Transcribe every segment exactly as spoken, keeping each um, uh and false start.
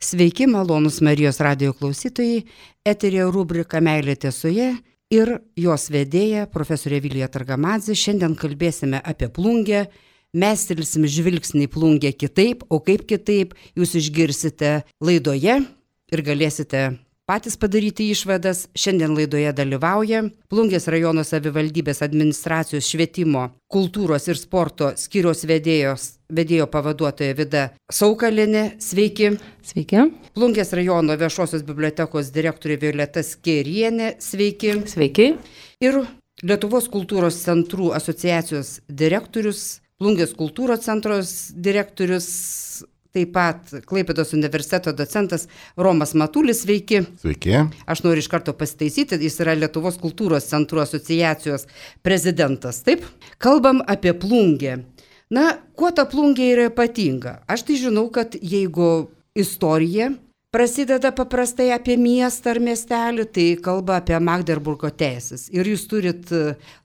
Sveiki, malonūs Marijos radijo klausytojai, eteryje rubrika Meilė tiesoje ir jos vedėja profesorė Vilija Targamadzė. Šiandien kalbėsime apie Plungę, mestelsim žvilgsnį į Plungę kitaip, o kaip kitaip jūs išgirsite laidoje ir galėsite patys padaryti išvadas. Šiandien laidoje dalyvauja Plungės rajono savivaldybės administracijos švietimo, kultūros ir sporto skyriaus vedėjos, vedėjo pavaduotoja Vida Saukalienė. Sveiki. Sveiki. Plungės rajono viešosios bibliotekos direktorė Violeta Skėrienė. Sveiki. Sveiki. Ir Lietuvos kultūros centrų asociacijos direktorius, Plungės kultūros centros direktorius, taip pat Klaipėdos universiteto docentas Romas Matulis. Sveiki. Sveiki. Aš noriu iš karto pasitaisyti, jis yra Lietuvos kultūros centrų asociacijos prezidentas. Taip, kalbam apie Plungę. Na, kuo ta Plungė yra ypatinga? Aš tai žinau, kad jeigu istorija prasideda paprastai apie miestą ar miestelį, tai kalba apie Magderburgo teisės. Ir jūs turit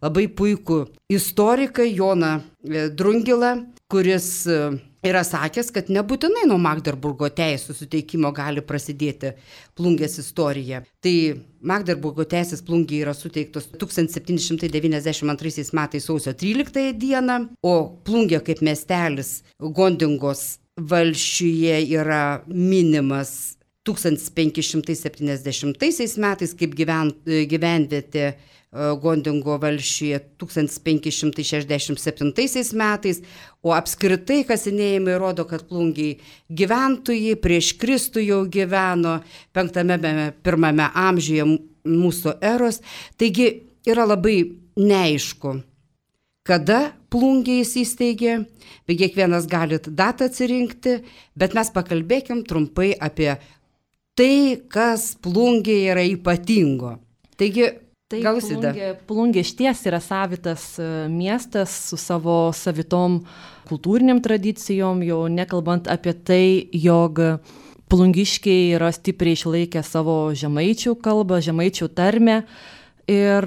labai puikų istoriką Joną Drungilą, kuris yra sakęs, kad nebūtinai nuo Magderburgo teisų suteikimo gali prasidėti Plungės istorija. Tai Magderburgo teisės Plungėje yra suteiktos tūkstantis septyni šimtai devyniasdešimt antraisiais metais sausio tryliktąją dieną, o Plungė kaip miestelis Gondingos valsčiuje yra minimas tūkstantis penki šimtai septyniasdešimtaisiais metais kaip gyven, gyvenvietė Gondingo valsčiuje tūkstantis penki šimtai šešiasdešimt septintaisiais metais, o apskritai kasinėjimai rodo, kad Plungėje gyventojai prieš Kristų jau gyveno penktame pirmame amžiuje mūsų eros. Taigi yra labai neaišku, kada Plungė įsisteigė, bet kiekvienas galit datą atsirinkti, bet mes pakalbėkim trumpai apie tai, kas Plungėje yra ypatingo. Taigi, Taip, Plungė, Plungė išties yra savitas miestas su savo savitom kultūriniam tradicijom, jau nekalbant apie tai, jog plungiškiai yra stipriai išlaikę savo žemaičių kalbą, žemaičių tarmę. Ir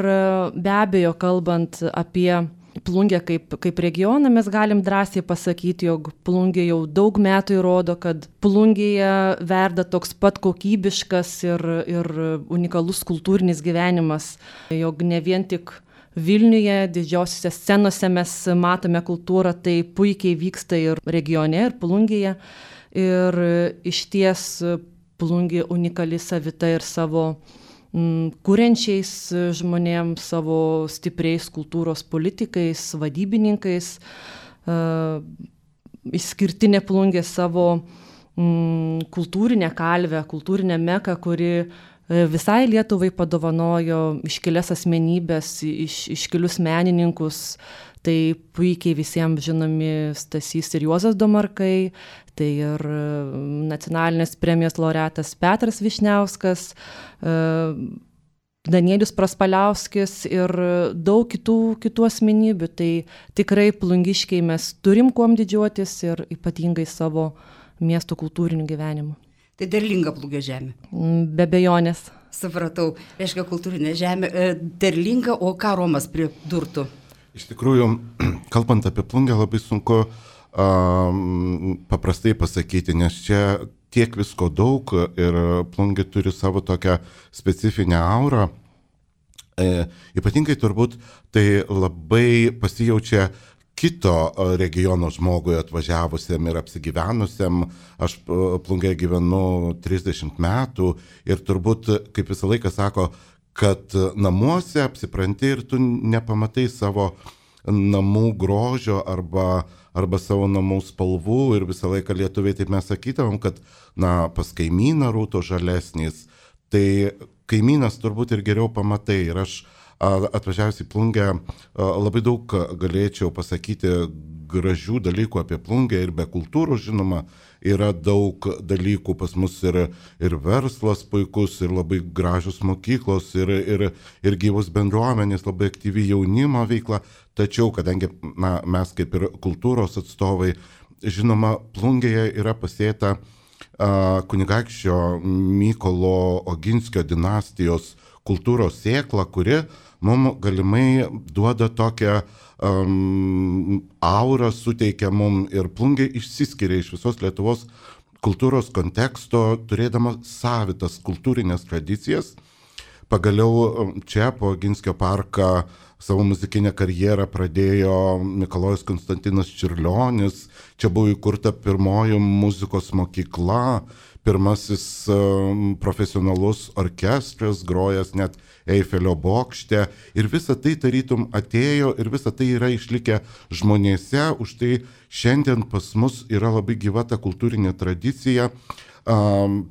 be abejo, kalbant apie Plungę kaip, kaip regioną, mes galim drąsiai pasakyti, jog Plungė jau daug metų įrodo, kad Plungėje verda toks pat kokybiškas ir, ir unikalus kultūrinis gyvenimas, jog ne vien tik Vilniuje, didžiosiuose scenose mes matome kultūrą, tai puikiai vyksta ir regione, ir Plungėje. Ir išties Plungė unikali savita ir savo kuriančiais žmonėms, savo stipriais kultūros politikais, vadybininkais. Išskirtinė Plungė savo mm, kultūrinę kalvę, kultūrinę meką, kuri visai Lietuvai padovanojo iškilias asmenybės, iš, iškilius menininkus. Tai puikiai visiems žinomi Stasys ir Juozas Domarkai, tai ir nacionalinės premijos laureatas Petras Vyšniauskas, Danielius Praspaliauskis ir daug kitų, kitų asmenybių. Tai tikrai plungiškiai mes turim kuom didžiuotis ir ypatingai savo miesto kultūriniu gyvenimu. Tai derlinga Plungės žemė. Be abejonės. Supratau, reiškia kultūrinė žemė, derlinga, o ką Romas pridurtų? Iš tikrųjų, kalbant apie Plungę, labai sunku um, paprastai pasakyti, nes čia tiek visko daug ir Plungė turi savo tokią specifinę aurą. E, ypatingai turbūt tai labai pasijaučia kito regiono žmogui atvažiavusiam ir apsigyvenusiam. Aš Plungėje gyvenu trisdešimt metų ir turbūt, kaip visą laiką sako, kad namuose apsipranti ir tu nepamatai savo namų grožio arba, arba savo namų spalvų ir visą laiką lietuviai taip mes sakytavom, kad na, pas kaimyną rūto žalesnis, tai kaimynas turbūt ir geriau pamatai. Ir aš atvažiavęs į Plungę labai daug galėčiau pasakyti gražių dalykų apie Plungę ir be kultūros, žinoma, yra daug dalykų pas mus ir, ir verslas puikus, ir labai gražios mokyklos, ir, ir, ir gyvos bendruomenės, labai aktyvi jaunimo veikla. Tačiau, kadangi na, mes kaip ir kultūros atstovai, žinoma, Plungėje yra pasėta uh, kunigaikščio Mykolo Oginskio dinastijos kultūros sėkla, kuri mums galimai duoda tokią um, aurą, suteikia mums ir Plungė išsiskiria iš visos Lietuvos kultūros konteksto, turėdama savitas kultūrinės tradicijas. Pagaliau čia po Oginskio parką savo muzikinę karjerą pradėjo Mikalojus Konstantinas Čiurlionis. Čia buvo įkurta pirmoji muzikos mokykla, pirmasis um, profesionalus orkestras, grojęs net Eifelio bokšte. Ir visa tai tarytum atėjo ir visa tai yra išlikę žmonėse. Už tai šiandien pas mus yra labai gyva ta kultūrinė tradicija. Um,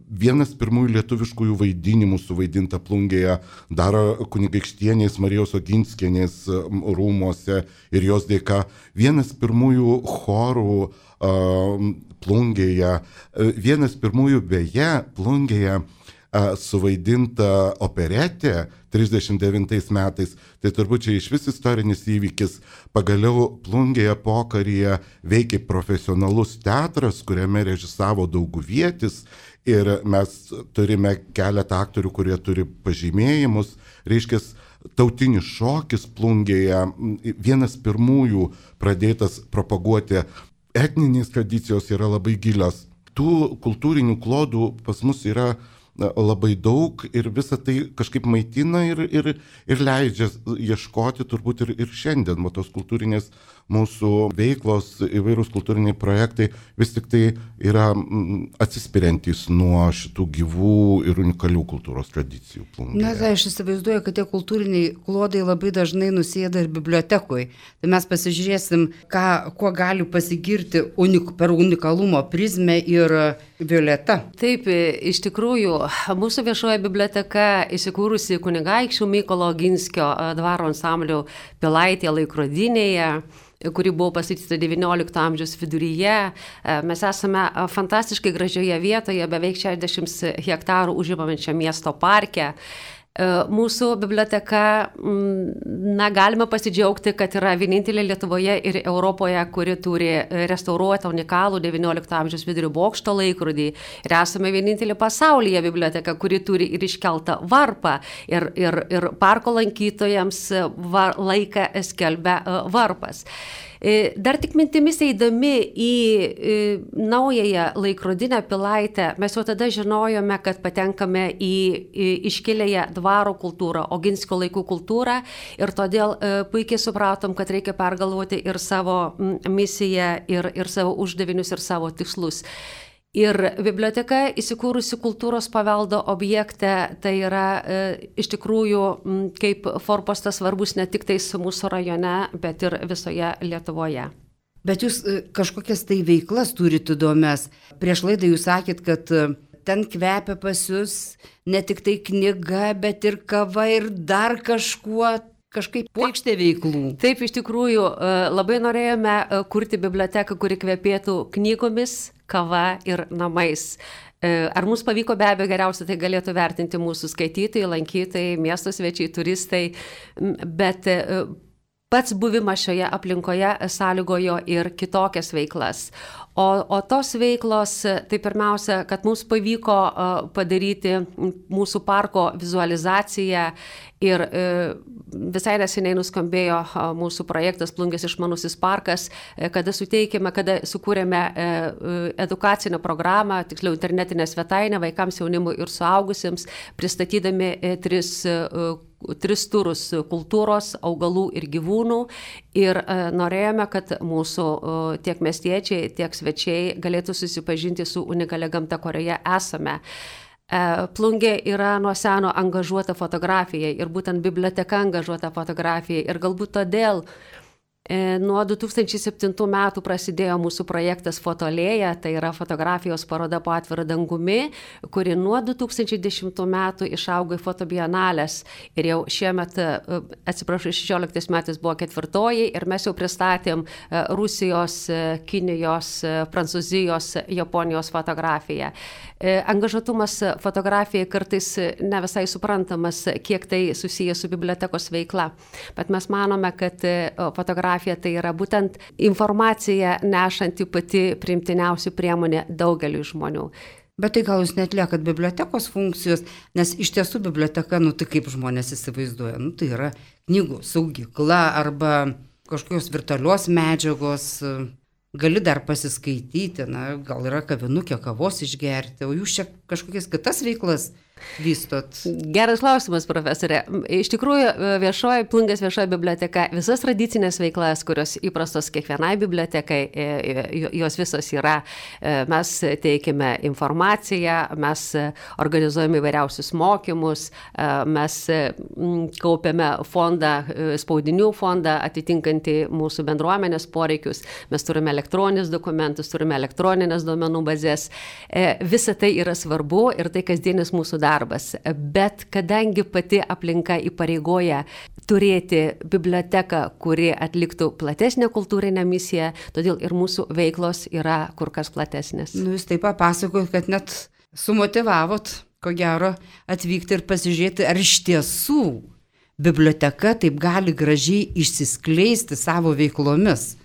Vienas pirmųjų lietuviškųjų vaidinimų suvaidinta Plungėje dar kunigaikštienės Marijos Oginskienės rūmuose ir jos dėka. Vienas pirmųjų chorų uh, Plungėje, vienas pirmųjų beje Plungėje uh, suvaidinta operetė trisdešimt devintais metais. Tai turbūt čia iš vis istorinis įvykis. Pagaliau Plungėje pokaryje veikė profesionalus teatras, kuriame režisavo Dauguvietis. Ir mes turime keletą aktorių, kurie turi pažymėjimus. Reiškia, tautinis šokis Plungėje, vienas pirmųjų pradėtas propaguoti. Etninės tradicijos yra labai gilios. Tų kultūrinių klodų pas mus yra labai daug ir visa tai kažkaip maitina ir, ir, ir leidžia ieškoti turbūt ir, ir šiandien. O tos kultūrinės mūsų veiklos, įvairūs kultūriniai projektai vis tik tai yra atsispiriantys nuo šitų gyvų ir unikalių kultūros tradicijų Plungėje. Na, tai aš įsivaizduoju, kad tie kultūriniai klodai labai dažnai nusėda ir bibliotekoje. Tai mes pasižiūrėsim, ką, kuo gali pasigirti unik, per unikalumo prizmę ir Violeta. Taip, iš tikrųjų, mūsų viešoji biblioteka įsikūrusi Kunigaikščių Mykolo Oginskio dvaro ansamblio Pilaitėje laikrodinėje, kuri buvo pastatyta devyniolikto amžiaus viduryje. Mes esame fantastiškai gražioje vietoje, beveik šešiasdešimt hektarų užimančią miesto parke. Mūsų biblioteka, na, galime pasidžiaugti, kad yra vienintelė Lietuvoje ir Europoje, kuri turi restauruotą unikalų devyniolikto amžiaus vidurio bokšto laikrodį. Ir esame vienintelė pasaulyje biblioteka, kuri turi ir iškeltą varpą. Ir, ir, ir parko lankytojams var, laiką skelbia varpas. Dar tik mintimis eidami į naująją laikrodinę Pilaitę, mes jau tada žinojome, kad patenkame į, į iškilėją dvaro kultūrą, Oginskio laikų kultūrą ir todėl puikiai supratom, kad reikia pergalvoti ir savo misiją, ir, ir savo uždavinius, ir savo tikslus. Ir biblioteka įsikūrusi kultūros paveldo objekte, tai yra e, iš tikrųjų m, kaip forpostas svarbus ne tik tais mūsų rajone, bet ir visoje Lietuvoje. Bet jūs kažkokias tai veiklas turite įdomias. Prieš laidą jūs sakėt, kad ten kvepia pas jūs ne tik tai knyga, bet ir kava ir dar kažkuo. Kažkaip puokštė veiklų. Taip, iš tikrųjų, labai norėjome kurti biblioteką, kuri kvepėtų knygomis, kava ir namais. Ar mums pavyko? Be abejo, geriausia tai galėtų vertinti mūsų skaitytojai, lankytojai, miesto svečiai, turistai, bet pats buvimas šioje aplinkoje sąlygojo ir kitokias veiklas. O, o tos veiklos, tai pirmiausia, kad mums pavyko padaryti mūsų parko vizualizaciją ir visai neseniai nuskambėjo mūsų projektas Plungės išmanusis parkas, kada suteikėme, kada sukūrėme edukacinę programą, tiksliau internetinę svetainę vaikams, jaunimui ir suaugusiems, pristatydami tris tris turus kultūros, augalų ir gyvūnų ir e, norėjome, kad mūsų e, tiek miestiečiai, tiek svečiai galėtų susipažinti su unikalia gamta, kurioje esame. E, Plungė yra nuo seno angažuota fotografija ir būtent biblioteka angažuota fotografija ir galbūt todėl nuo du tūkstančiai septintų metų prasidėjo mūsų projektas Fotolėja, tai yra fotografijos paroda po atvirą dangumi, kuri nuo du tūkstančiai dešimtų metų išaugo į fotobienalės ir jau šiemet, atsiprašau, šešioliktais metais buvo ketvirtoji ir mes jau pristatėm Rusijos, Kinijos, Prancūzijos, Japonijos fotografiją. Angažuotumas fotografijai kartais ne visai suprantamas, kiek tai susijęs su bibliotekos veikla, bet mes manome, kad fotografija tai yra būtent informacija nešanti pati priimtiniausių priemonė daugeliui žmonių. Bet tai gal jūs neatliekat bibliotekos funkcijos, nes iš tiesų biblioteka, nu tai kaip žmonės įsivaizduoja, nu tai yra knygų saugykla arba kažkokios virtualios medžiagos. gali dar pasiskaityti, na, gal yra kavinukė kavos išgerti, o jūs čia kažkokias kitas veiklas vystot? Geras klausimas, profesorė. Iš tikrųjų, viešoji, Plungės viešoji biblioteka, visas tradicinės veiklas, kurios įprastos kiekvienai bibliotekai, jos visos yra. Mes teikime informaciją, mes organizuojame įvairiausius mokymus, mes kaupiame fondą, spaudinių fondą atitinkantį mūsų bendruomenės poreikius, mes turime elektroninius dokumentus, turime elektroninės duomenų bazės. Visa tai yra svarbu ir tai kasdienis mūsų darbas. darbas, bet kadangi pati aplinka įpareigoja turėti biblioteką, kuri atliktų platesnę kultūrinę misiją, todėl ir mūsų veiklos yra kur kas platesnės. Nu, jūs taip papasakojot, kad net sumotivavot, ko gero, atvykti ir pasižiūrėti, ar iš tiesų biblioteka taip gali gražiai išsiskleisti savo veiklomis.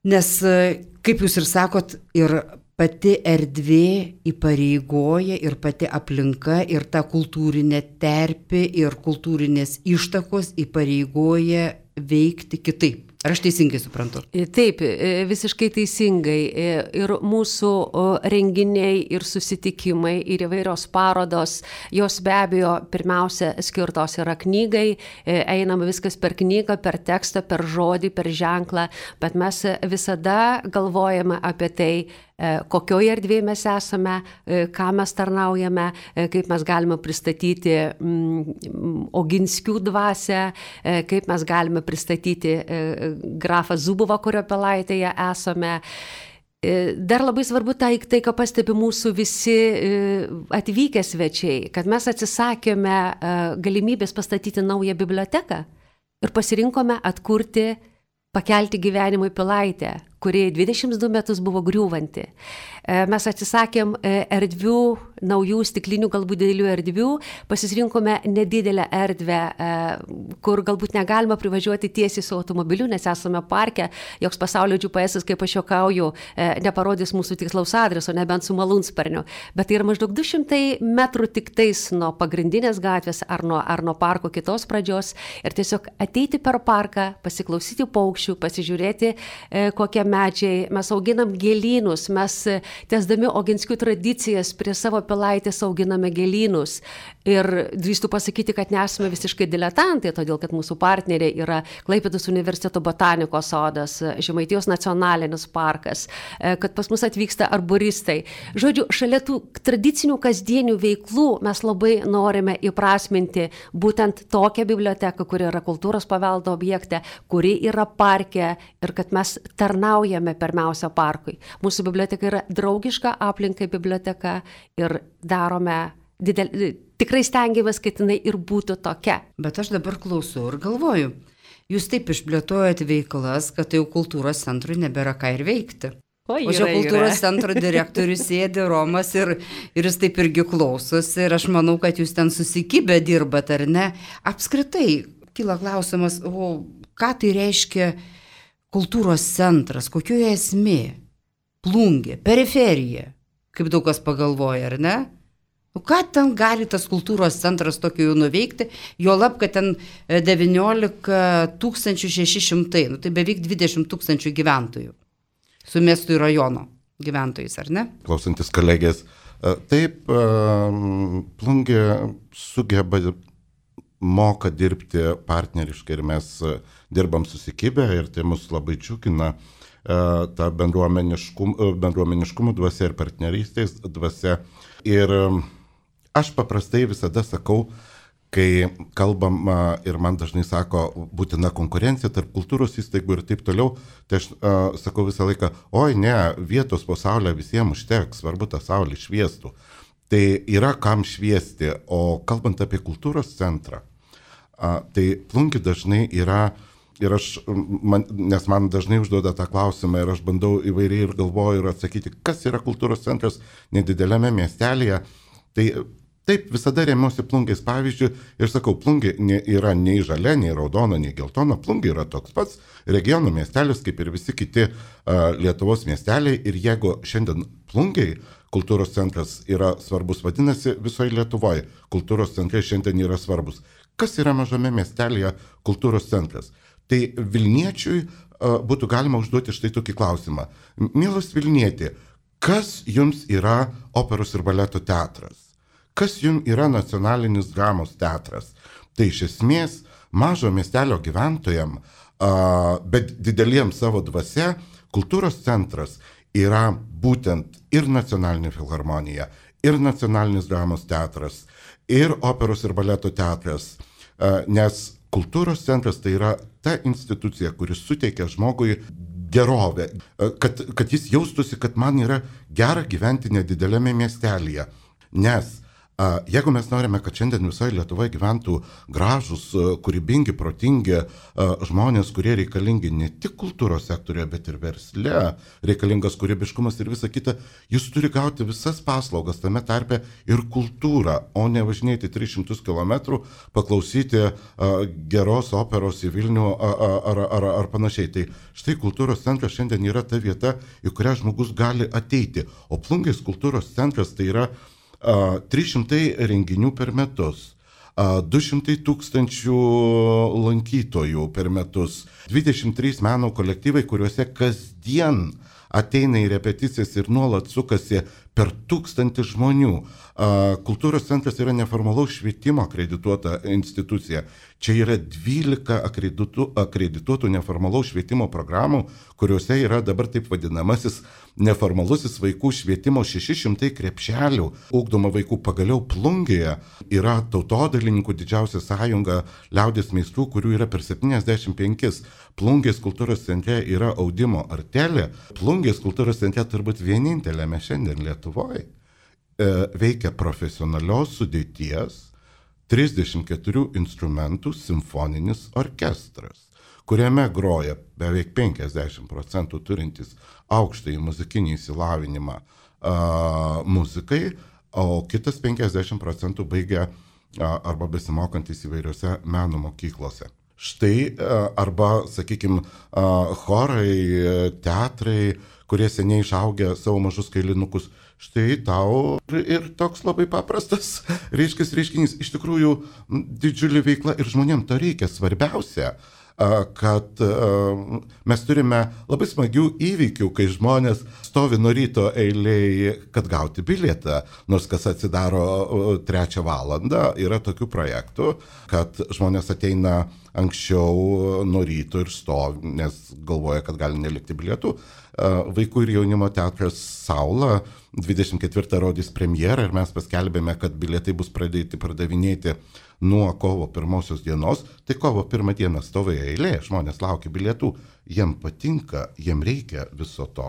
Nes, kaip jūs ir sakot, ir pati erdvė įpareigoja ir pati aplinka ir ta kultūrinė terpė ir kultūrinės ištakos įpareigoja veikti kitaip. Ar aš teisingai suprantu? Taip, visiškai teisingai. Ir mūsų renginiai ir susitikimai ir įvairios parodos, jos be abejo pirmiausia skirtos yra knygai, einama viskas per knygą, per tekstą, per žodį, per ženklą, bet mes visada galvojame apie tai, kokioje erdvėje mes esame, ką mes tarnaujame, kaip mes galime pristatyti Oginskių dvasią, kaip mes galime pristatyti grafą Zubovą, kurio Pilaitėje esame. Dar labai svarbu tai, tai, ką pastebi mūsų visi atvykę svečiai, kad mes atsisakėme galimybės pastatyti naują biblioteką ir pasirinkome atkurti, pakelti gyvenimui Pilaitę, kuri dvidešimt du metus buvo griūvanti. Mes atsisakėm erdvių, naujų stiklinių, galbūt didelių erdvių, pasirinkome nedidelę erdvę, kur galbūt negalima privažiuoti tiesiai su automobiliu, nes esame parke, joks pasaulio G P S, kaip aš juokauju, neparodys mūsų tikslaus adreso, nebent su malūnsparniu. Bet tai yra maždaug du šimtai metrų tik tais nuo pagrindinės gatvės ar nuo, ar nuo parko kitos pradžios ir tiesiog ateiti per parką, pasiklausyti paukščių, pasižiūrėti, kokie medžiai, mes auginam gėlynus, mes tęsdami Oginskių tradicijas prie savo Pilaitės auginame gėlynus ir drįstu pasakyti, kad nesame visiškai diletantai, todėl kad mūsų partneriai yra Klaipėdos universiteto botanikos sodas, Žemaitijos nacionalinis parkas, kad pas mus atvyksta arboristai. Žodžiu, šalia tų tradicinių kasdienių veiklų mes labai norime įprasminti būtent tokią biblioteką, kuri yra kultūros paveldo objekte, kuri yra parke ir kad mes tarnaujame pirmiausia parkui. Mūsų biblioteka yra draugiška aplinkai biblioteka ir darome didel... tikrai stengiamės, kad jinai ir būtų tokia. Bet aš dabar klausau ir galvoju, jūs taip išplėtojat veiklas, kad jau kultūros centrui nebėra ką ir veikti. O, o čia kultūros centro direktorius sėdi Romas ir, ir jis taip irgi klausosi ir aš manau, kad jūs ten susikibę dirbat, ar ne? Apskritai, kyla klausimas, o ką tai reiškia kultūros centras, kokioje esmė? Plungė, periferija, kaip daug kas pagalvoja, ar ne? Nu, ką ten gali tas kultūros centras tokio jau nuveikti, jo lab, kad ten devyniolika tūkstančių šeši šimtai, nu, tai beveik dvidešimt tūkstančių gyventojų, su miestų ir rajono gyventojais, ar ne? Klausantis kolegės, taip, Plungė sugeba, moka dirbti partneriškai ir mes dirbam susikibę ir tai mus labai džiugina ta bendruomeniškumo, bendruomeniškumo dvasia ir partnerystės dvasia. Ir aš paprastai visada sakau, kai kalbam ir man dažnai sako būtina konkurencija tarp kultūros įstaigų ir taip toliau, tai aš uh, sakau visą laiką, oi ne, vietos po saulę visiems užteks, svarbu tą saulę šviestų. Tai yra kam šviesti, o kalbant apie kultūros centrą, uh, tai Plungė dažnai yra, ir aš, man, nes man dažnai užduoda tą klausimą ir aš bandau įvairiai ir galvoju ir atsakyti, kas yra kultūros centras nedideliame miestelėje, tai taip, visada remiuosi Plungės pavyzdžių ir sakau, Plungė yra nei žalia, nei raudona, nei geltona, Plungė yra toks pats regionų miestelis, kaip ir visi kiti uh, Lietuvos miesteliai ir jeigu šiandien Plungėj kultūros centras yra svarbus, vadinasi, visoje Lietuvoje kultūros centrai šiandien yra svarbus. Kas yra mažame miestelėje kultūros centras? Tai Vilniečiui būtų galima užduoti štai tokį klausimą. Mielas Vilnieti, kas jums yra operos ir baleto teatras? Kas jums yra nacionalinis dramos teatras? Tai iš esmės mažo miestelio gyventojam, bet dideliems savo dvasia, kultūros centras yra būtent ir nacionalinė filharmonija, ir nacionalinis dramos teatras, ir operos ir baleto teatras, nes kultūros centras tai yra ta institucija, kuris suteikia žmogui gerovę, kad, kad jis jaustųsi, kad man yra gera gyventi nedidelėme miestelėje, nes jeigu mes norime, kad šiandien visoje Lietuvoje gyventų gražus, kūrybingi, protingi žmonės, kurie reikalingi ne tik kultūros sektorioje, bet ir versle, reikalingas kūrybiškumas ir visa kita, jis turi gauti visas paslaugas, tame tarpe ir kultūrą, o ne važinėti tris šimtus kilometrų, paklausyti geros operos į Vilnių ar, ar, ar panašiai. Tai štai kultūros centras šiandien yra ta vieta, į kurią žmogus gali ateiti, o Plungės kultūros centras tai yra trys šimtai renginių per metus, du šimtai tūkstančių lankytojų per metus, dvidešimt trys meno kolektyvai, kuriuose kasdien ateina į repeticijas ir nuolat sukasi per tūkstantį žmonių. Kultūros centras yra neformalaus švietimo akredituota institucija. Čia yra dvylika akredituotų, akredituotų neformalaus švietimo programų, kuriuose yra dabar taip vadinamasis neformalusis vaikų švietimo šeši šimtai krepšelių. Ugdoma vaikų pagaliau Plungėje yra tautodailininkų didžiausia sąjunga liaudies meistrų, kurių yra per septyniasdešimt penkis. Plungės kultūros centre yra audimo artelė. Plungės kultūros centre turbūt vienintelėme šiandien Lietuvoje veikia profesionalios sudėties trisdešimt keturių instrumentų simfoninis orkestras, kuriame groja beveik penkiasdešimt procentų turintis aukštąjį muzikinį įsilavinimą a, muzikai, o kitas penkiasdešimt procentų baigia a, arba besimokantis įvairiose meno mokyklose. Štai a, arba, sakykime, chorai, teatrai, kurie seniai išaugę savo mažus kailinukus. Štai tau ir toks labai paprastas reiškis reiškinys. Iš tikrųjų, didžiulė veikla ir žmonėms to reikia. Svarbiausia, kad mes turime labai smagių įvykių, kai žmonės stovi nuo ryto eilėje, kad gauti bilietą, nors kas atsidaro trečią valandą. Yra tokių projektų, kad žmonės ateina anksčiau nuo ryto ir stovi, nes galvoja, kad gali nelikti bilietų. Vaikų ir jaunimo teatras Saula dvidešimt ketvirtą rodys premjerą ir mes paskelbėme, kad bilietai bus pradėti pardavinėti nuo kovo pirmosios dienos. Tai kovo pirmą dieną stovi eilė, žmonės laukia bilietų, jiem patinka, jiem reikia viso to.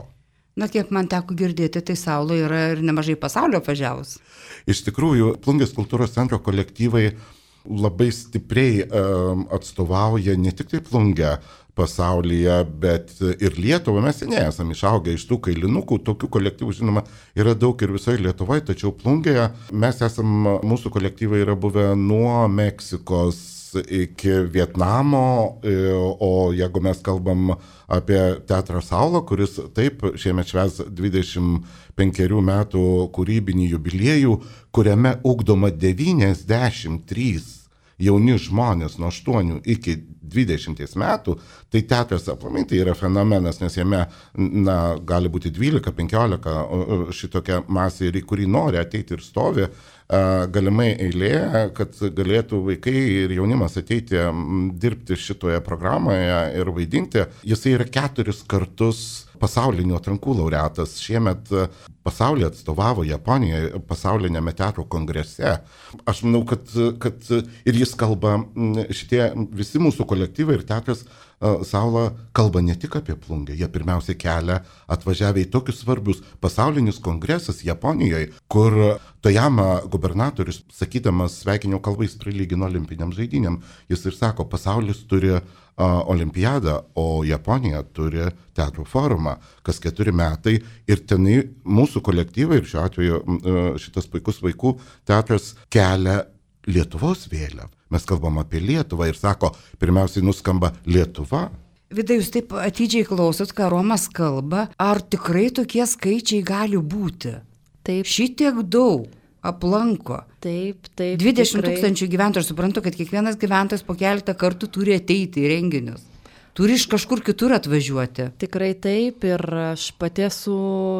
Na, kiek man teko girdėti, tai Saula yra ir nemažai pasaulio važiavus. Iš tikrųjų, Plungės kultūros centro kolektyvai labai stipriai um, atstovauja ne tik tai Plungę pasaulyje, bet ir Lietuvą. Mes seniai esame išaugę iš tų kailinukų, tokių kolektyvų, žinoma, yra daug ir visoje Lietuvoje, tačiau Plungėje mes esam, mūsų kolektyvai yra buvę nuo Meksikos iki Vietnamo, o jeigu mes kalbam apie teatrą Saula, kuris taip šiemet švęs dvidešimt penkerių metų kūrybinį jubiliejų, kuriame ugdoma devyniasdešimt trys jauni žmonės nuo aštuonių iki dvidešimties metų, tai teatras aplamai tai yra fenomenas, nes jame na, gali būti dvylika penkiolika šitokia masė, į kurį nori ateiti ir stovi galimai eilė, kad galėtų vaikai ir jaunimas ateiti dirbti šitoje programoje ir vaidinti. Jisai yra keturis kartus pasaulinių atrankų laureatas. Šiemet pasaulį atstovavo Japonijoje pasaulinėme teatro kongrese. Aš manau, kad, kad ir jis kalba, šitie visi mūsų kolektyvai ir teatras Saula kalba ne tik apie Plungę, jie pirmiausia kelia atvažiavę į tokius svarbius pasaulinis kongresas Japonijoje, kur Tojama gubernatorius, sakydamas sveikinimo kalbą, jis prilygino olimpiniam žaidynėm. Jis ir sako, pasaulis turi uh, olimpiadą, o Japonija turi teatro forumą, kas keturi metai. Ir tenai mūsų kolektyvai, ir šiuo atveju uh, šitas puikus vaikų teatras kelia Lietuvos vėliavą. Mes kalbam apie Lietuvą ir sako, pirmiausiai nuskamba Lietuva. Vida, jūs taip atidžiai klausot, ką Romas kalba. Ar tikrai tokie skaičiai gali būti? Taip. Šitiek daug aplanko. Taip, taip. dvidešimt tūkstančių gyventojų. Aš suprantu, kad kiekvienas gyventojas po keletą kartų turi ateiti į renginius. turi iš kažkur kitur atvažiuoti. Tikrai taip, ir aš pati esu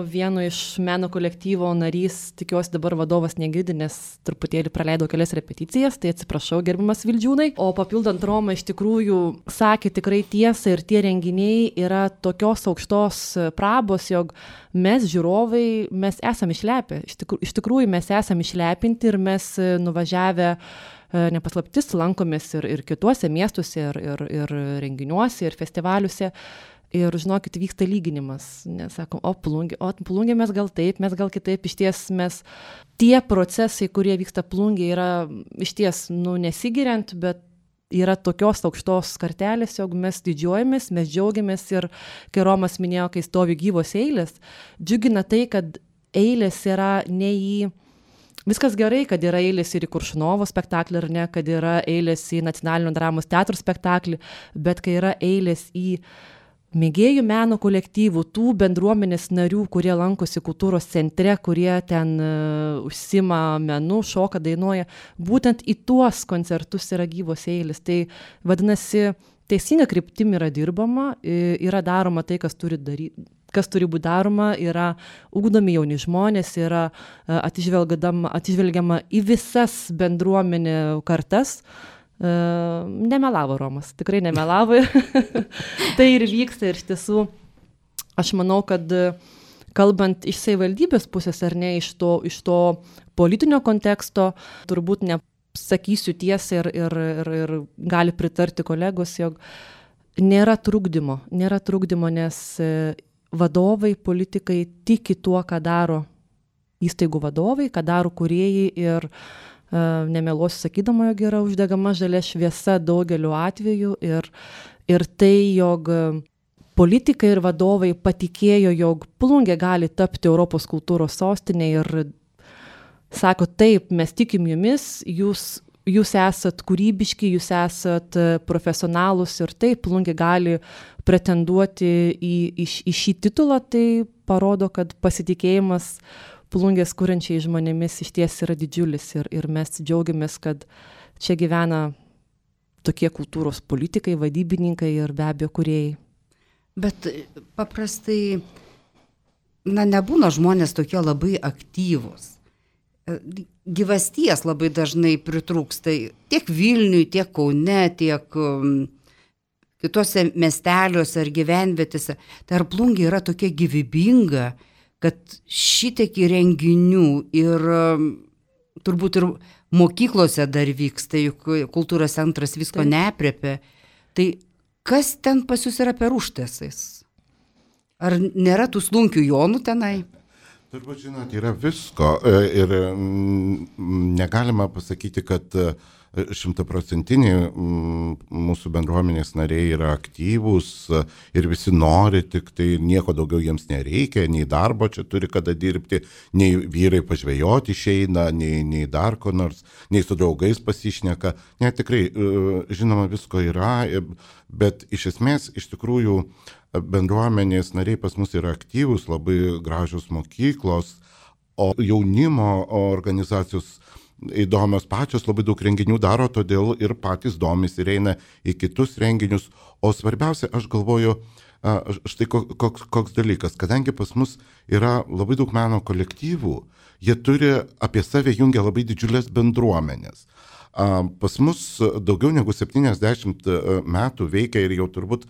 vieno iš meno kolektyvo narys, tikiuosi dabar vadovas negirdi, nes truputėlį praleidau kelias repeticijas, tai atsiprašau, gerbiamas Vildžiūnai. O papildant Romą, iš tikrųjų sakė tikrai tiesą, ir tie renginiai yra tokios aukštos prabos, jog mes žiūrovai, mes esame išlepę, iš tikrųjų, iš tikrųjų mes esame išlepinti ir mes nuvažiavę, nepaslaptis, lankomės ir, ir kituose miestuose, ir, ir, ir renginiuose, ir festivaliuose. Ir žinokit, vyksta lyginimas. Nes sakom, o plungė, o plungė mes gal taip, mes gal kitaip. Iš ties mes, tie procesai, kurie vyksta plungė, yra iš ties, nu, nesigiriant, bet yra tokios aukštos kartelės, jog mes didžiuojamės, mes džiaugiamės. Ir kai Romas minėjo, kai stovi gyvos eilės, džiugina tai, kad eilės yra ne į... Viskas gerai, kad yra eilės ir į Kuršunovo spektaklį, ar ne, kad yra eilės į Nacionalinio dramos teatro spektaklį, bet kai yra eilės į mėgėjų meno kolektyvų, tų bendruomenės narių, kurie lankosi kultūros centre, kurie ten uh, užsima menu, šoka, dainuoja, būtent į tuos koncertus yra gyvos eilės. Tai vadinasi, teisinga kryptim yra dirbama, yra daroma tai, kas turi daryti. kas turi būti daroma, yra ugdomi jauni žmonės, yra atsižvelgiama į visas bendruomenė kartas. Nemelavo Romas, tikrai nemelavo. Tai ir vyksta, ir iš tiesų, aš manau, kad kalbant iš savivaldybės pusės, ar ne, iš to, iš to politinio konteksto, turbūt nesakysiu tiesą ir, ir, ir, ir gali pritarti kolegos, jog nėra trukdymo, nėra trukdymo, nes vadovai, politikai tiki tuo, ką daro įstaigų vadovai, ką daro kūrėjai, ir uh, nemeluosiu sakydama, jog yra uždegama žalia šviesa daugeliu atveju, ir, ir tai, jog politikai ir vadovai patikėjo, jog Plungė gali tapti Europos kultūros sostinė, ir sako, taip, mes tikim jumis, jūs Jūs esat kūrybiški, jūs esat profesionalus, ir taip, Plungė gali pretenduoti į, į, į šį titulą, tai parodo, kad pasitikėjimas Plungės kuriančiai žmonėmis iš ties yra didžiulis, ir, ir mes džiaugiamės, kad čia gyvena tokie kultūros politikai, vadybininkai ir be abejo kūrėjai. Bet paprastai, na, nebūna žmonės tokie labai aktyvūs. Gyvasties labai dažnai pritrūksta tiek Vilniui, tiek Kaune, tiek um, kitose miesteliuose ar gyvenvietėse. Tai ar Plungė yra tokia gyvybinga, kad šitiek renginių ir um, turbūt ir mokyklose dar vyksta, juk kultūros centras visko neaprėpia. Tai kas ten pas jūs yra per užtaisais? Ar nėra tų slunkių jonų tenai? Turbūt, žinot, yra visko, ir negalima pasakyti, kad šimtaprocentiniai mūsų bendruomenės nariai yra aktyvūs ir visi nori, tik tai nieko daugiau jiems nereikia, nei darbo čia turi kada dirbti, nei vyrai pažvejoti išeina, nei, nei dar ko nors, nei su draugais pasišneka. Ne, tikrai, žinoma, visko yra, bet iš esmės, iš tikrųjų, bendruomenės nariai pas mus yra aktyvūs, labai gražios mokyklos, o jaunimo organizacijos įdomios pačios, labai daug renginių daro, todėl ir patys domisi ir eina į kitus renginius. O svarbiausia, aš galvoju, štai koks, koks dalykas, kadangi pas mus yra labai daug meno kolektyvų, jie turi apie save jungia labai didžiulės bendruomenės. Pas mus daugiau negu septyniasdešimt metų veikia ir jau turbūt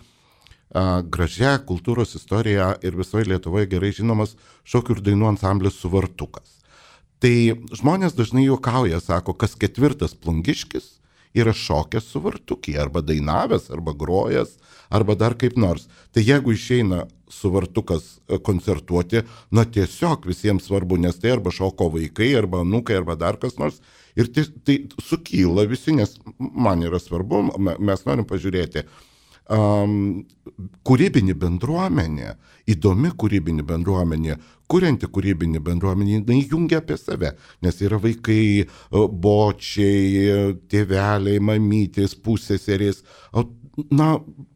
gražia kultūros istorija ir visoje Lietuvoje gerai žinomas šokių ir dainų ansamblis Suvartukas. Tai žmonės dažnai juokauja, sako, kas ketvirtas plungiškis yra šokęs Suvartukį, arba dainavęs, arba grojęs, arba dar kaip nors. Tai jeigu išeina Suvartukas koncertuoti, na tiesiog visiems svarbu, nes tai arba šoko vaikai, arba anūkai, arba dar kas nors. Ir tai, tai sukyla visi, nes man yra svarbu, mes norim pažiūrėti. Um, kūrybinį bendruomenę, įdomi kūrybinį bendruomenę, kurianti kūrybinį bendruomenę, jinai jungia apie save, nes yra vaikai, bočiai, tėveliai, mamytės, pusseserės, na,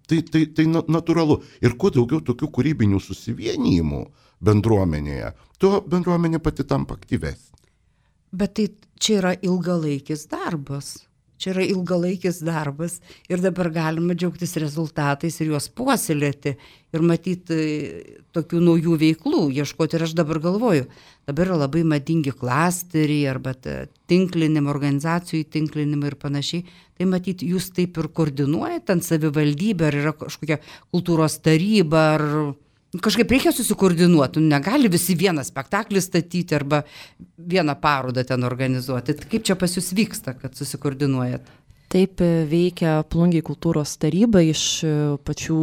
tai, tai, tai natūralu. Ir kuo daugiau tokių kūrybinių susivienijimų bendruomenėje, tuo bendruomenė pati tampa aktyvesnė. Bet tai čia yra ilgalaikis darbas. Čia yra ilgalaikis darbas ir dabar galima džiaugtis rezultatais ir juos puoselėti ir matyti tokių naujų veiklų, ieškoti. Ir aš dabar galvoju, dabar yra labai madingi klasteriai arba tinklinimo, organizacijų tinklinimo ir panašiai. Tai matyti, jūs taip ir koordinuojate ant savivaldybę, ar yra kažkokia kultūros taryba, ar kažkaip reikia susikoordinuoti. Negali visi vieną spektaklį statyti arba vieną parodą ten organizuoti. Kaip čia pas jūs vyksta, kad susikoordinuojat? Taip veikia Plungėje kultūros taryba iš pačių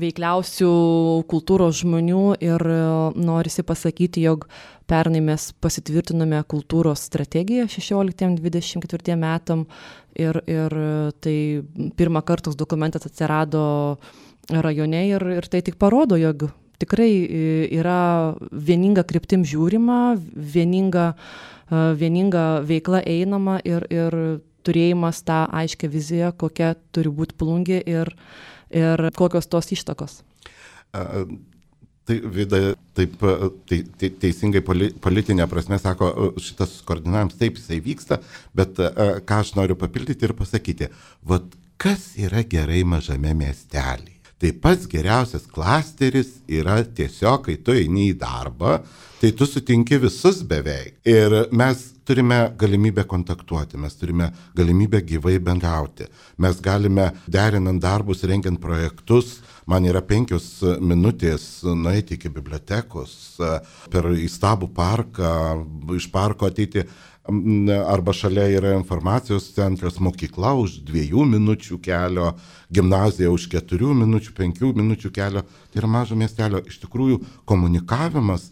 veikliausių kultūros žmonių ir norisi pasakyti, jog pernai mes pasitvirtinome kultūros strategiją šešioliktiems dvidešimt ketvirtiems metam ir, ir tai pirmą kartą dokumentas atsirado rajone ir, ir tai tik parodo, jog tikrai yra vieninga kryptim žiūrima, vieninga, vieninga veikla einama ir, ir turėjimas tą aiškę viziją, kokia turi būti Plungė ir, ir kokios tos ištakos. Uh, tai Vida taip tai, tai, teisingai poli, politinė prasme sako, šitas koordinavimas taip jisai vyksta, bet uh, ką aš noriu papildyti ir pasakyti, vat kas yra gerai mažame miestelį. Tai pats geriausias klasteris yra tiesiog, kai tu eini į darbą, tai tu sutinki visus beveik. Ir mes turime galimybę kontaktuoti, mes turime galimybę gyvai bendrauti. Mes galime derinant darbus, rengiant projektus. Man yra penkios minutės nueiti iki bibliotekos, per įstabų parką, iš parko ateiti. Arba šalia yra informacijos centras, mokykla už dviejų minučių kelio, gimnazija už keturių minučių, penkių minučių kelio. Tai yra mažo miestelio. Iš tikrųjų, komunikavimas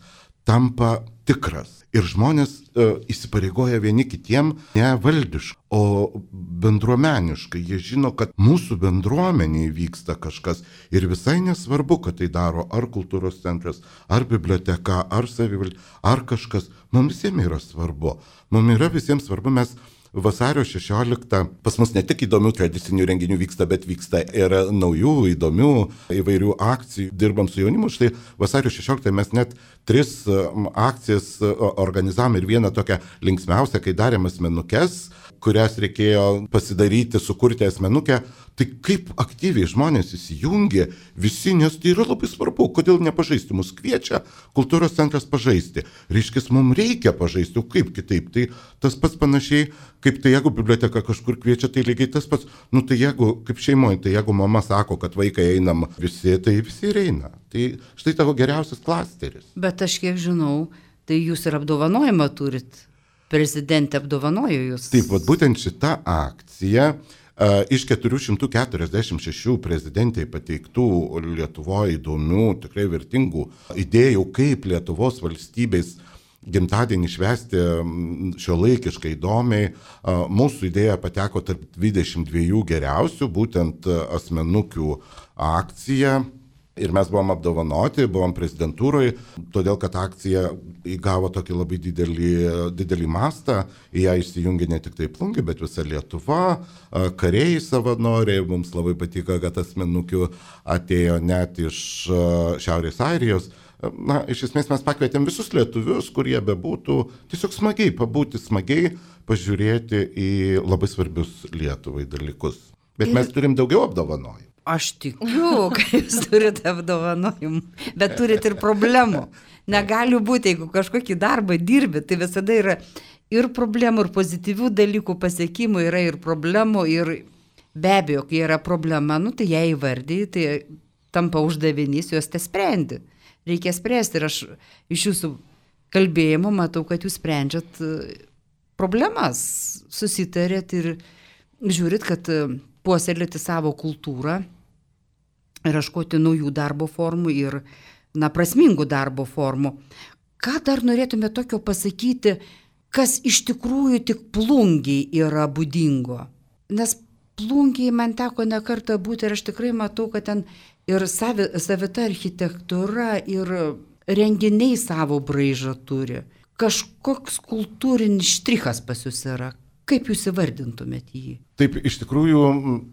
tampa tikras. Ir žmonės e, įsipareigoja vieni kitiem ne valdiškai, o bendruomeniškai. Jie žino, kad mūsų bendruomeniai vyksta kažkas. Ir visai nesvarbu, kad tai daro ar kultūros centras, ar biblioteka, ar savivaldybė, ar kažkas. Mums visiems yra svarbu. Mums yra visiems svarbu, mes vasario šešioliktą, pas mus ne tik įdomių tradicinių renginių vyksta, bet vyksta ir naujų, įdomių įvairių akcijų. Dirbam su jaunimu, štai vasario šešioliktą mes net tris akcijas organizavom ir vieną tokią linksmiausią, kai darėm asmenukes, kurias reikėjo pasidaryti, sukurti asmenukę. Tai kaip aktyviai žmonės įsijungia visi, nes tai yra labai svarbu, kodėl nepažaisti, mus kviečia kultūros centras pažaisti. Reiškia, mums reikia pažaisti, o kaip kitaip, tai tas pats panašiai, kaip tai jeigu biblioteka kažkur kviečia, tai lygiai tas pats, nu tai jeigu, kaip šeimoje, tai jeigu mama sako, kad vaikai einam visi, tai visi ir eina. Tai štai tavo geriausias klasteris. Bet aš kiek žinau, tai jūs ir apdovanojimą turit. Prezidentė apdovanojo jūs. Taip, vat būtent šita akcija uh, iš keturi šimtai keturiasdešimt šeši prezidentai pateiktų Lietuvoje įdomių, tikrai vertingų idėjų, kaip Lietuvos valstybės gimtadienį švęsti šiuolaikiškai įdomiai. Uh, mūsų idėja pateko tarp dvidešimt dviejų geriausių, būtent asmenukių akcija. Ir mes buvom apdovanoti, buvom prezidentūroje, todėl kad akcija įgavo tokį labai didelį, didelį mastą, į ją įsijungė ne tik tai Plungė, bet visa Lietuva, kariai savanoriai, mums labai patiko, kad asmenukių atėjo net iš Šiaurės Airijos. Na, iš esmės mes pakvietėm visus lietuvius, kurie bebūtų, tiesiog smagiai pabūti, smagiai pažiūrėti į labai svarbius Lietuvai dalykus. Bet mes turim daugiau apdovanojimų. Aš tikiu, kad jūs turite apdovanojimų, bet turite ir problemų. Negali būti, jeigu kažkokį darbą dirbi, tai visada yra ir problemų, ir pozityvių dalykų pasiekimų, yra ir problemų, ir be abejo, kai yra problema, nu, tai ją įvardyji, tai tampa uždavinys, juos te sprendi. Reikia spręsti ir aš iš jūsų kalbėjimo matau, kad jūs sprendžiat problemas, susitarėt ir žiūrit, kad puoselėti savo kultūrą ir ieškoti naujų darbo formų ir, na, prasmingų darbo formų. Ką dar norėtume tokio pasakyti, kas iš tikrųjų tik Plungei yra būdingo? Nes Plungei man teko ne kartą būti ir aš tikrai matau, kad ten ir savi, savita architektūra ir renginiai savo braižą turi. Kažkoks kultūrinis štrichas pas jūs yra. Kaip jūs įvardintumėt jį? Taip, iš tikrųjų,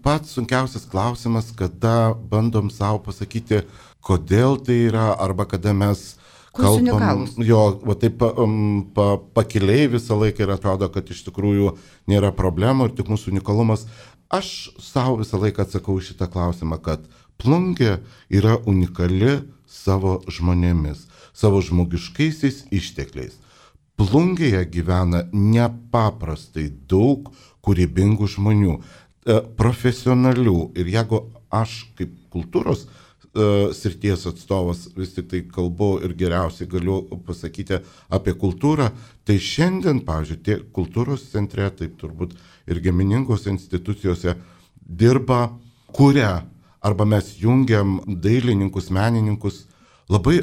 pats sunkiausias klausimas, kada bandom savo pasakyti, kodėl tai yra, arba kada mes Kuo unikalūs? Jo, va taip um, pa, pakiliai visą laiką ir atrodo, kad iš tikrųjų nėra problemų ir tik mūsų unikalumas. Aš savo visą laiką atsakau šitą klausimą, kad Plungė yra unikali savo žmonėmis, savo žmogiškaisiais ištekliais. Plungėje gyvena nepaprastai daug kūrybingų žmonių, profesionalių. Ir jeigu aš kaip kultūros uh, srities atstovas vis tik tai kalbu ir geriausiai galiu pasakyti apie kultūrą, tai šiandien, pavyzdžiui, tie kultūros centre, taip turbūt ir giminingose institucijose dirba, kuria, arba mes jungiam dailininkus, menininkus, labai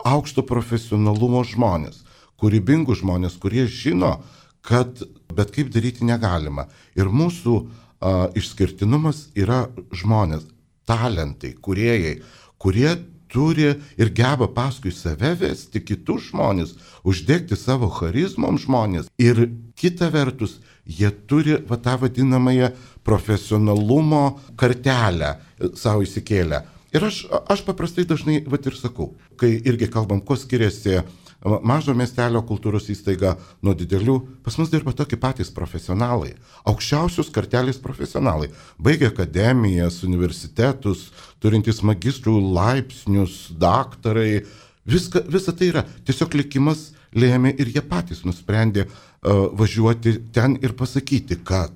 aukšto profesionalumo žmonės, kūrybingų žmonės, kurie žino, kad bet kaip daryti negalima. Ir mūsų a, išskirtinumas yra žmonės, talentai, kūrėjai, kurie turi ir geba paskui save vesti kitus žmonės, uždegti savo charizmom žmonės. Ir kita vertus, jie turi va, tą vadinamąją profesionalumo kartelę savo įsikėlę. Ir aš, aš paprastai dažnai va, ir sakau, kai irgi kalbam, kuo skiriasi mažo miestelio kultūros įstaiga nuo didelių, pas mus dirba tokie patys profesionalai, aukščiausios kartelės profesionalai, baigę akademijas, universitetus, turintys magistrų laipsnius, daktarai, viską, visa tai yra. Tiesiog likimas lėmė ir jie patys nusprendė uh, važiuoti ten ir pasakyti, kad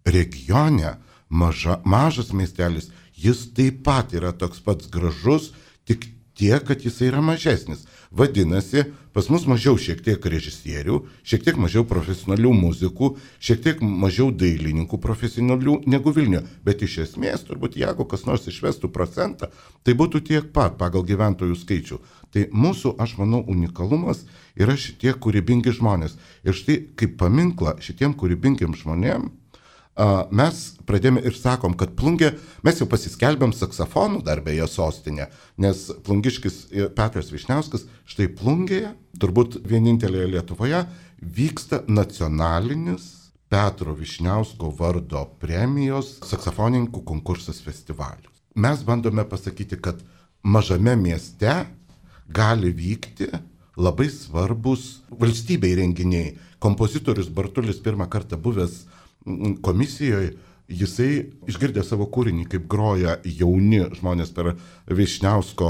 regione maža, mažas miestelis, jis taip pat yra toks pats gražus, tik tiek, kad jis yra mažesnis. Vadinasi, pas mus mažiau šiek tiek režisierių, šiek tiek mažiau profesionalių muzikų, šiek tiek mažiau dailininkų profesionalių negu Vilniuje. Bet iš esmės, turbūt, jeigu kas nors išvestų procentą, tai būtų tiek pat pagal gyventojų skaičių. Tai mūsų, aš manau, unikalumas yra šitie kūrybingi žmonės. Ir štai kaip paminklą šitiem kūrybingiem žmonėm, mes pradėjome ir sakom, kad Plungė, mes jau pasiskelbėm saksofonų dar beje sostinę, nes plungiškis Petras Vyšniauskas, štai Plungėje, turbūt vienintelėje Lietuvoje, vyksta nacionalinis Petro Vyšniausko vardo premijos saksofonininkų konkursas festivalis. Mes bandome pasakyti, kad mažame mieste gali vykti labai svarbus valstybei renginiai. Kompozitorius Bartulis pirmą kartą buvęs komisijoje, jisai išgirdė savo kūrinį, kaip groja jauni žmonės per Vyšniausko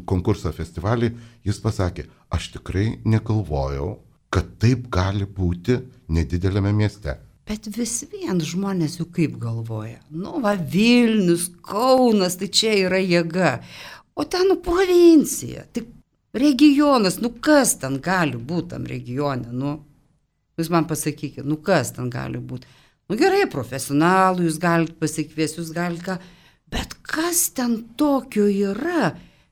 konkursą festivalį, jis pasakė, aš tikrai negalvojau, kad taip gali būti nedidelėme mieste. Bet vis vien žmonės jau kaip galvoja. Nu, va, Vilnius, Kaunas, tai čia yra jėga. O ten, nu, provincija, tik regionas, nu, kas ten gali būti tam regione, nu, jūs man pasakykite, nu, kas ten gali būti. Nu gerai, profesionalų, jūs galite pasikviesti, jūs galite ką, bet kas ten tokio yra,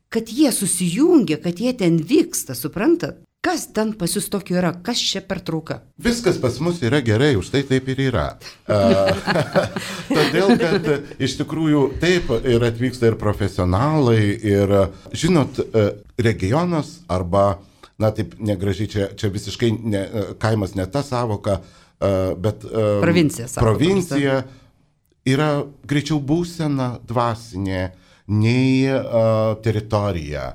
kad jie susijungia, kad jie ten vyksta, suprantat? Kas ten pas jūs tokio yra, kas čia per trauka? Viskas pas mus yra gerai, už tai taip ir yra. Todėl, kad iš tikrųjų taip ir atvyksta ir profesionalai, ir žinot, regionas arba, na taip negražiai, čia, čia visiškai ne, kaimas ne ta savoka, bet provincija, provincija yra greičiau būsena dvasinė nei uh, teritorija.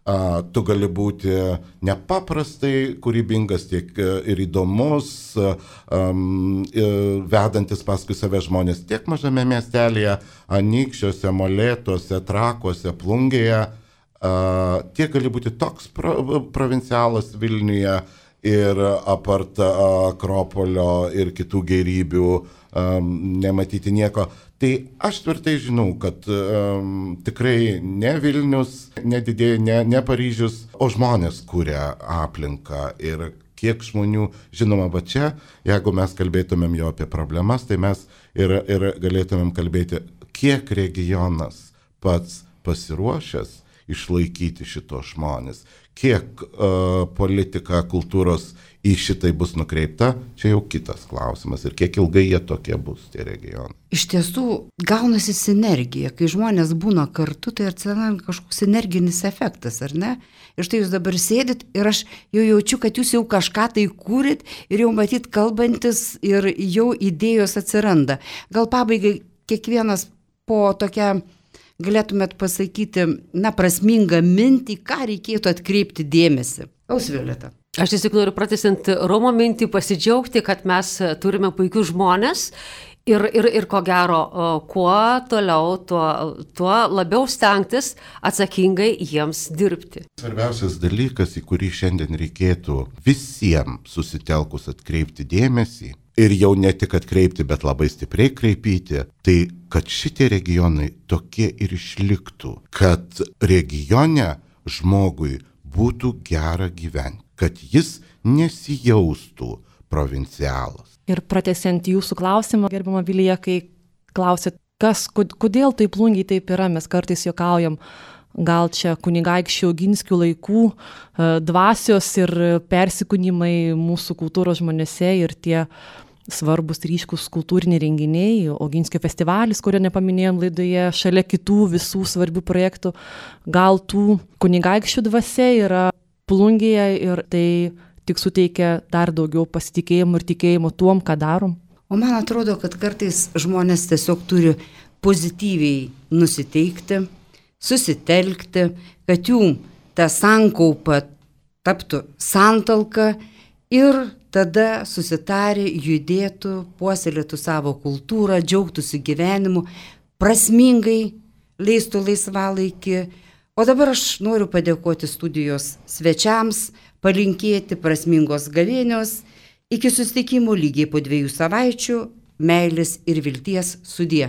Uh, tu gali būti nepaprastai kūrybingas, tiek uh, ir įdomus, uh, um, uh, vedantis paskui save žmonės tiek mažame miestelėje, Anykščiuose, Molėtuose, Trakuose, Plungėje, uh, tiek gali būti toks pro, provincialas Vilniuje, ir apart Akropolio ir kitų gėrybių um, nematyti nieko. Tai aš tvirtai žinau, kad um, tikrai ne Vilnius, ne didėja, ne, ne Paryžius, o žmonės kuria aplinką. Ir kiek žmonių, žinoma, va čia, jeigu mes kalbėtumėm jo apie problemas, tai mes ir, ir galėtumėm kalbėti, kiek regionas pats pasiruošęs išlaikyti šitos žmonės. Kiek uh, politika, kultūros į šitai bus nukreipta, čia jau kitas klausimas. Ir kiek ilgai jie tokie bus, tie regionai. Iš tiesų, gaunasi sinergija. Kai žmonės būna kartu, tai atsiranda kažkoks sinerginis efektas, ar ne? Ir štai jūs dabar sėdit ir aš jau jaučiu, kad jūs jau kažką tai kūrit ir jau matyt kalbantis ir jau idėjos atsiranda. Gal pabaigai kiekvienas po tokią galėtumėt pasakyti, na, prasmingą mintį, ką reikėtų atkreipti dėmesį? Ausvioleta. Aš tiesiog noriu pratęsiant Romo mintį, pasidžiaugti, kad mes turime puikius žmonės ir, ir, ir ko gero, kuo toliau, tuo, tuo labiau stengtis atsakingai jiems dirbti. Svarbiausias dalykas, į kurį šiandien reikėtų visiems susitelkus atkreipti dėmesį, ir jau ne tik atkreipti, bet labai stipriai kreipyti, tai kad šitie regionai tokie ir išliktų, kad regione žmogui būtų gera gyventi, kad jis nesijaustų provincialas. Ir pratęsiant jūsų klausimą, gerbiama Vilija, kai klausėt, kas, kodėl taip Plungėj taip yra, mes kartais juokaujam, gal čia kunigaikščių Oginskių laikų dvasios ir persikūnimai mūsų kultūros žmonėse ir tie svarbus ryškus kultūriniai renginiai, Oginskio festivalis, kurio nepaminėjom laidoje, šalia kitų visų svarbių projektų, gal tų kunigaikščių dvasia yra Plungėje ir tai tik suteikia dar daugiau pasitikėjimo ir tikėjimo tuom, ką darom. O man atrodo, kad kartais žmonės tiesiog turi pozityviai nusiteikti, susitelkti, kad jų ta sankaupa taptų santalka ir tada susitarė, judėtų, puoselėtų savo kultūrą, džiaugtųsi gyvenimu, prasmingai leistų laisvalaikį. O dabar aš noriu padėkoti studijos svečiams, palinkėti prasmingos gavėnios, iki susitikimų lygiai po dviejų savaičių, meilės ir vilties sudie.